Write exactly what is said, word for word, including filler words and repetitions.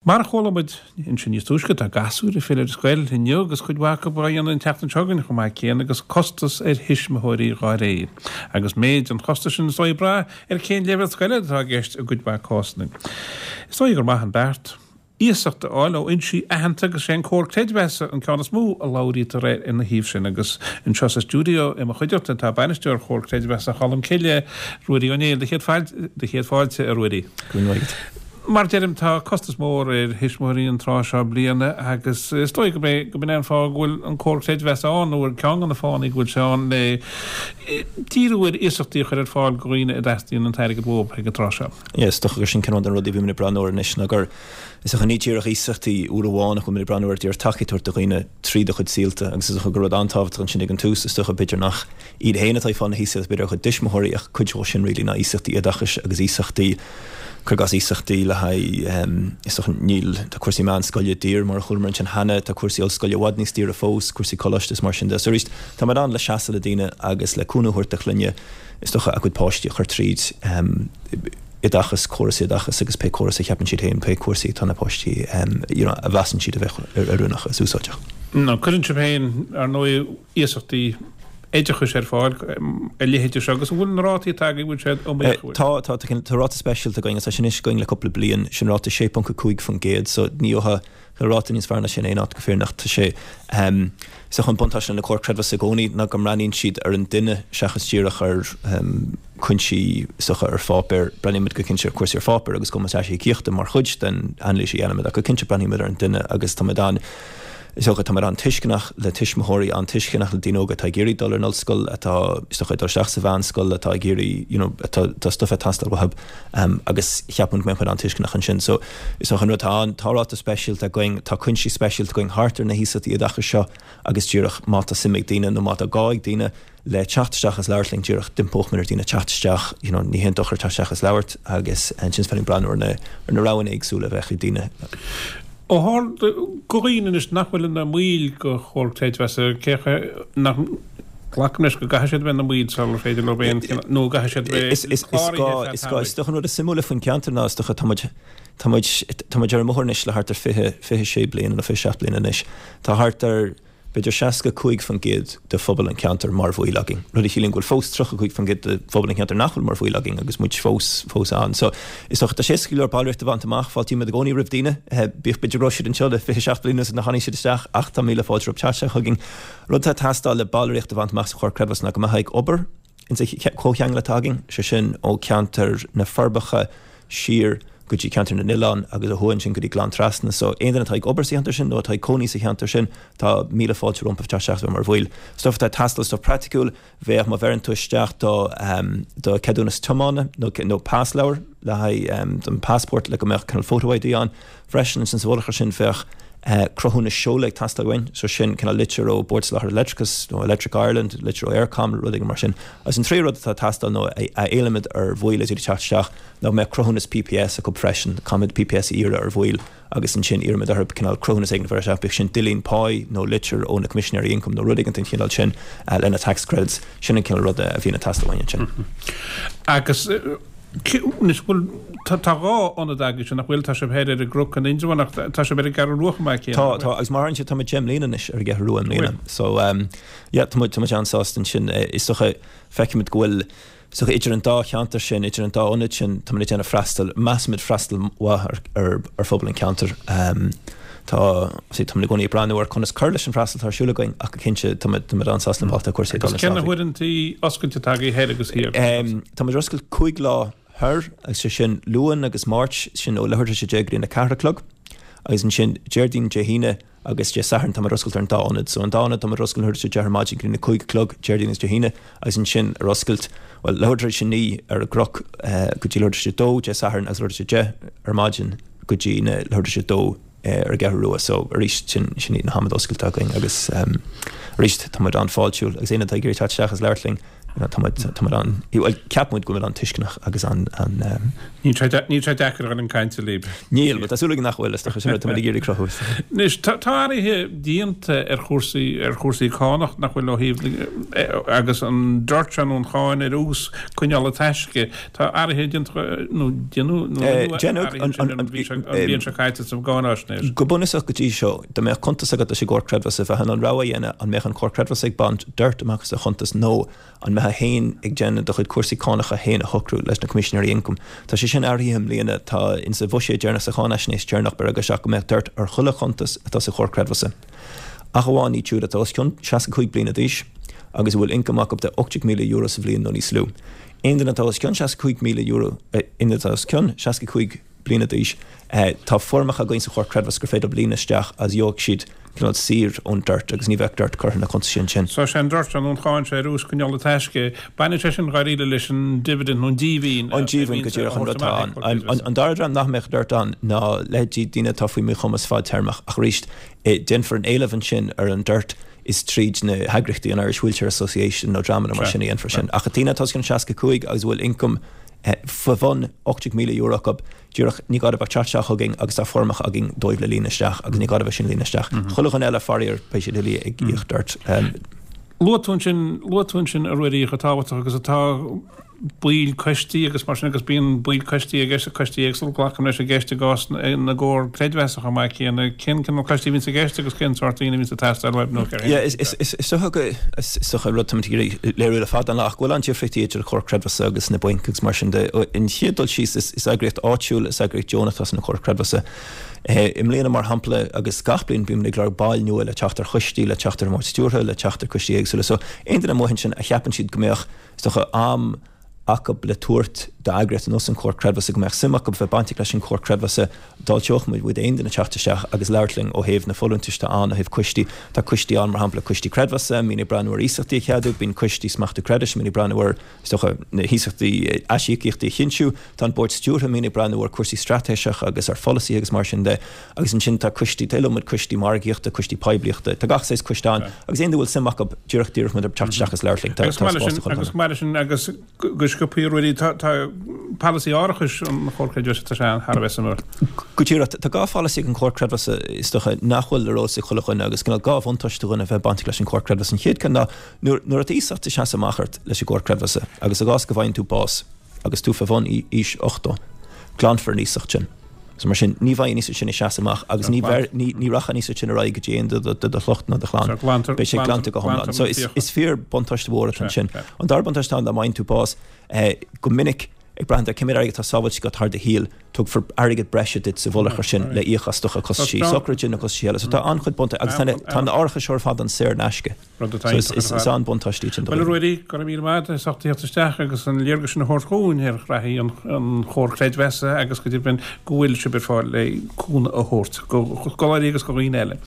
Mar a chuala muid ansin níos túisce tá gasúir ag filleadh ar scoil inniu agus cuid mhaith acu á dhéanamh an tseachtain seo chugainn chomh maith céanna agus costas ar thuismitheoirí dá réir. Agus méid an chostais sin is dóigh ag brath ar cén leibhéal scoile atá i gceist i gcuid mhaith cásanna. Is dóigh gur maith an beart iasacht a fháil ó fhoinsí aitheanta agus sé an Comhar Creidmheasa an ceann is mó a labhraítear air ina thaobh sin agus anseo sa stiúideo i mo chuideachta tá bainisteoir Chomhar Creidmheasa Cholmcille, Ruairí Ó Néill, do chéad do chéad fáilte a Ruairí. Go raibh maith agat. Mar deirim tá costas mór ar thuismitheoirí an tráth seo bliana agus is dóigh go b'é go b'in é an fáth go bhfuil an Comhar Creidmheasa ann nó ar ceann de na fáthanna go bhfuil sé ann le díriú ar iasachtaí a chur ar fáil do dhaoine a dteastaíonn an t-airgead uathu ag an tráth seo. Yeah, is dócha gur sin ceann de na rudaí a bhímid ag breathnú air anois ná gur is dócha ní díreach iasachtaí uair amháin ach bhfuil muid ag breathnú ar díreach tacaíocht a thabhairt do dhaoine tríd a chuid saolta agus is dócha gur rud an-tábhachtach ansin ag an tús is dócha b'fhéidir nach iad féin atá ag fáil na hiasachtaí b'fhéidir a gcuid tuismitheoirí ach cuid dhó sin really ná iasachtaí oideachais agus iasachtaí cuir i gcás iasachtaí le haghaidh is dócha níl tá cúrsaí meánscoile daor mar a chualamar ansin cheana, tá cúrsaí ollscoile i bhfad níos daoire fós, cúrsaí coláiste is mar sin de. So arís tá muid ann le seasamh le daoine agus le cúnamh a thabhairt do chlainne is dócha a gcuid páistí a chur tríd oideachas, córas oideachas agus pé córas a cheapann siad féin, pé cúrsaí atá na páistí you know a mheasann siad a bheith oiriúnach is úsáideach. Nó cuireann sibh féin ar ndóigh iasachtaí oideachais ar fáil a leithéide seo agus an bhfuil na rátaí atá agaibh, bhfuil siad iomaíoch? Tá, tá, tá ráta speisialta againn agus tá sin anois againn le cúpla bliain, sin ráta sé ponc a cúig faoin gcéad so ní gheofá ráta níos fearr ná sin aon áit go fírinneach. Tá sé, is dócha an buntáiste le Comhar Creidmheasa i gcónaí ná go mbreathnaíonn siad ar an duine seachas díreach ar chúinsí is dócha ar pháipéar. Breathnaímid go cinnte ar chúrsaí ar pháipéar agus cumas aisíocaíochta mar chuid den anailís a dhéanaimid ach go cinnte breathnaímid ar an duine agus táimid an Is dócha, táimid an-tuisceanach le tuismitheoirí, an-tuisceanach le daoine óga atá ag iarraidh dul ar an ollscoil, atá, is dócha, ag dul isteach sa mheánscoil, atá ag iarraidh, you know, atá, tá stuif ag teastáil uathu agus cheapfainn go mbeadh muid an-tuisceanach ansin. So, is dócha an rud atá ann, tá ráta speisialta againn, tá cuinsí speisialta againn thart ar na hiasachtaí oideachais seo agus díreach má tá suim ag daoine nó má tá gá ag daoine, le teacht isteach is labhairt linn díreach d'impímid ar dhaoine teacht isteach, you know, ní haon dochar teacht isteach is labhairt agus ansin is féidir linn breathnú ar na, ar na roghanna éagsúla a bheadh ag daoine. Ó tharla do dhaoine anois nach bhfuil ina mbaill de Chomhar Creidmheasa, cé nach, glacaim leis go gcaithfidh siad a bheith ina mbaill sular féidir leo aon chineál, nó go gcaithfidh siad a bheith Is, is, is gá, is gá, is dócha an rud is suimiúla faoin cheantar ná is dócha tá muid, tá muid, tá muid ar an mbóthar anois le thart ar fiche, fiche sé bliana nó fiche seacht bliana anois. Tá thart ar, b'fhéidir seasca cúig faoin gcéad de phobal an cheantair mar bhaill againn, rud a chiallaíonn go bhfuil fós tríocha cúig faoin gcéad de phobal an cheantair nach bhfuil mar bhaill againn agus muid fós, fós ann. So, is dócha, tá sé éasca go leor ballraíocht a bhaint amach, fáiltímid i gcónaí roimh daoine, bíodh b'fhéidir go raibh siad anseo le fiche seacht bliain anuas nach tháinig siad isteach ach tá míle fáilte rompu teacht isteach chugainn. Rud atá ag teastáil le ballraíocht a bhaint amach sa Chomhar Creidmheasa ná go mbeifeá ag obair insa chomhcheangal atá againn, sé sin ó cheantar na Forbacha, siar go dtí Ceantar na nOileán agus ó thuaidh ansin go dtí Gleann Trasna. So aon duine atá ag obair sa cheantar sin nó atá ag cónaí sa cheantar sin, tá míle fáilte rompu teacht isteach is bheith mar bhaill. Stuff atá ag teastáil, stuff praiticiúil, bheadh má bheireann tú isteach do do cheadúnas tiomána nó nó pasleabhar le haghaidh don passport le go mbeadh cineál photo ID ann freisin ansin sa mhullach air sin bheadh cruthúnas seoladh ag teastáil uainn, so sin cineál litir ó Bord Soláthair Leictreachais nó Electric Ireland, litir ó Eircom, rud éigin mar sin. Agus an tríú rud atá ag teastáil nó a éilímid ar bhaill is iad ag teacht isteach ná go mbeadh cruthúnas PPS acu freisin. Caithfimid PPS a iarraidh ar bhaill agus ansin iarraimid orthu cineál cruthúnas éigin a bhur isteach, bíodh sin duillín páí nó litir ó na Coimisinéirí Ioncaim nó rud éigin den chineál sin lena tax credits. Sin an cineál ruda a bhíonn ag teastáil uainn ansin. Agus. Anois, bhfuil, tá dhá ionad agaibhse, nach bhfuil? Tá sibh thoir ar an gCnoc in Indreabhán ach tá sibh ar an gCeathrú Rua chomh maith céanna, Tá, tá, agus mar a deireann tú, tá muid deich mbliana anois ar an gCeathrú Rua i mbliana. So, yeah, tá muid, tá muid an-sásta ansin. Is dócha, feicimid go bhfuil, is dócha, idir an dá cheantar sin, idir an dá ionad sin, tá muid ag déanamh freastal, measaimid freastal mhaith ar, ar, ar phobal an cheantair. Tá, see, táimid i gcónaí ag breathnú ar conas cur leis an bhfreastal atá ar siúl againn ach go cinnte táimid, táimid an-sásta le bealach atá cúrsaí ag dul Agus cé na huaireantaí oscailte atá agaibh thoir agus thiar? Tá muid ar oscailt cúig lá thoir agus sé sin Luan agus Máirt, sin ó leathuair tar éis a deich go dtí a ceathair a chlog agus ansin Déardaoin, Dé hAoine agus Dé Sathairn tá muid ar oscailt ar an dá ionad. So an dá ionad tá muid ar oscailt leathuair tar éis a deich ar maidin go dtí a cúig a chlog Déardaoin agus Dé hAoine agus ansin ar oscailt, bhuel, leathuair tar éis a naoi ar an gCnoc go dtí leathuair tar éis a dó Dé Sathairn agus leathuair tar éis a deich ar maidin go dtí na leathuair tar éis a dó ar an gCeathrú Rua. So arís sin sin iad na hamanna oscailte againn agus arís tá muid an-fháiltiúil agus aon duine atá ag iarraidh teacht isteach is labhairt linn you know, tá muid tá muid an bhuel ceap muid go bhfuil an-tuisceanach agus an an um, Níl sé níl sé deacair a dhul ag caint libh. Níl, tá súil againn nach bhfuil is sin tá ag iarraidh cruthú. Anois tá athruithe déanta ar chúrsaí ar chúrsaí cánach nach bhfuil ó thaobh agus an DIRT nó an cháin ar ús coinneála taisce tá athruithe déanta nó déanadh an bhliain seo caite sa gcáinaisnéis. Go bunúsach go dtí seo dá mbeadh cuntas agat leis an gcomhar creidmheasa bheifeá in ann rogha a dhéanamh an mbeadh an comhar creidmheasa ag baint DIRT amach as do chuntas nó an mbeifeá féin ag déanamh do chuid cúrsaí cánacha féin a shocrú leis na Coimisinéirí Ioncaim. Tá sé sin athraithe i mbliana, tá insa bhuiséad deireanach, sa cháinaisnéis deireanach, beireadh isteach go mbeadh DIRT ar chuile chuntas atá sa Chomhar Creidmheasa, ach amháin iad siúd atá os cionn seasca cúig bliana d'aois agus a bhfuil ioncam acu de ocht déag míle euro sa bhliain nó níos lú. Aon duine atá os cionn seasca cúig míle euro, aon duine atá os cionn seasca cúig bliana d'aois, tá foirmeacha againn sa Chomhar Creidmheasa gur féidir leo líonadh isteach agus gheobhaidh siad cineál saor ón DIRT agus ní bheadh DIRT curtha ar na cuntais sin sin. So sé an DIRT an cháin sé ar ús coinneála taisce, baineann sé sin dháiríre leis an dividend nó an díbhinn An díbhinn go díreach an rud atá ann. An dara dream nach mbeadh DIRT ann ná leithéidí daoine atá faoi mhíchumas fadtéarmach ach arís déanfar an éileamh ansin ar an DIRT is tríd na heagraíochtaí, an Irish Wheelchair Association nó dreamanna mar sin a dhéanfar sin. Ach daoine atá os cionn seasca cúig agus a bhfuil ioncam faoi bhun ocht déag míle euro acu, díreach ní gá dóibh ach teacht isteach chugainn agus tá foirmeacha againn dóibh le líonadh isteach agus ní gá dóibh sin a líonadh isteach. Chuile dhuine eile, faraor, beidh siad uilig ag íoc DIRT. Luaigh tú ansin, luaigh tú ansin a Ruairí chomh tábhachtach agus atá baill coistí agus mar sin agus bíonn baill coistí i gceist, coistí éagsúla, glacaim leis i gceist i gcás na gcomhar creidmheasa chomh maith céanna. Cén cineál coistí a bhíonns i gceist agus cén sórt daoine a bhíonns ag teastáil uaibh nó céard? Yeah, is, is, is, is dócha go, is dócha rud táimid ag iarraidh léiriú le fada an lá ach go bhfuil an-difríochtaí idir an Comhar Creidmheasa agus na bainc agus mar sin de. An chéad dul síos, is, is eagraíocht áitiúil, is eagraíocht deonach atá san Chomhar Creidmheasa. I mbliana mar shampla, agus gach bliain, bímid ag lorg baill nua le teacht ar choistí, le teacht ar an mBord Stiúrtha, le teacht ar choistí éagsúla. So, aon duine amuigh ansin a cheapann siad go mbeadh, is dócha, am acu le tabhairt d'eagraíocht ar nós an Chomhar Creidmheasa, go mbeadh suim acu bheith bainteach leis an Chomhar Creidmheasa, d'fháilteodh muid roimh aon duine teacht isteach agus labhairt linn ó thaobh na folúntais atá ann, ó thaobh coistí. Tá coistí ann, mar shampla, coistí creidmheasa, a mbíonn ag breathnú ar iasachtaí a cheadú, bíonn coistí smachtú creidis a mbíonn ag breathnú ar, is dócha, na hiasachtaí, aisíocaíochtaí a chinntiú. Tá an Bord Stiúrtha a mbíonn ag breathnú ar chúrsaí straitéiseacha agus ar pholasaithe agus mar sin de. Agus ansin tá coistí, tá iliomad coistí margaíochta, coistí poiblíochta, tá gach saghas coiste ann agus aon duine a bhfuil suim acu, díreach d'iarrfadh muid orthu teacht isteach agus labhairt linn. Tá spás do chuile dhuine. Agus chomh maith leis sin, agus go sciobtha a Ruairí, tá polasaí árachais an Chomhair Creidmheasa, tá sé thar a bheith suimiúil. Go díreach, tá dhá pholasaí ag an Chomhar Creidmheasa, is dócha, nach bhfuil ar eolas ag chuile dhuine agus cineál dhá bhuntáiste do dhuine a bheith bainteach leis an Chomhar Creidmheasa. An chéad ceann ná nuair atá iasacht ag seasamh amach ort leis an gComhar Creidmheasa agus i gcás go bhfaigheann tú bás agus tú fé bhun aois ochtó, glanfar an iasacht sin. So mar sin, ní bheidh an iasacht sin ag seasamh amach agus ní ní rachaidh an iasacht sin ar aghaidh go dtí aon duine de do shliocht ná do chlann. Beidh sé glanta go hiomlán. So is fíor buntáiste mhór atá ansin. An dara buntáiste atá ann dá bhfaigheann tú bás, go minic, ag brath ar cé mhéad airgid atá sábháilte agat thar do shaol, tugfar airgead breise duit sa mhullach air sin le íoc as do chostaisí sochraide nó costaisí eile. So tá an-chuid buntáistí agus tá na árachais seo ar fad ann saor in aisce. Rud atá iontach ar fad. Is an-buntáiste iad sin do Bhuel, a Ruairí, go raibh míle maith agat as ucht tíocht isteach agus an léargas sin a thabhairt dhúinn ar ghraithí an Chomhair Creidmheasa agus go deimhin go bhfuil sibh ar fáil le cúnamh a thabhairt do scoláirí agus do dhaoine eile.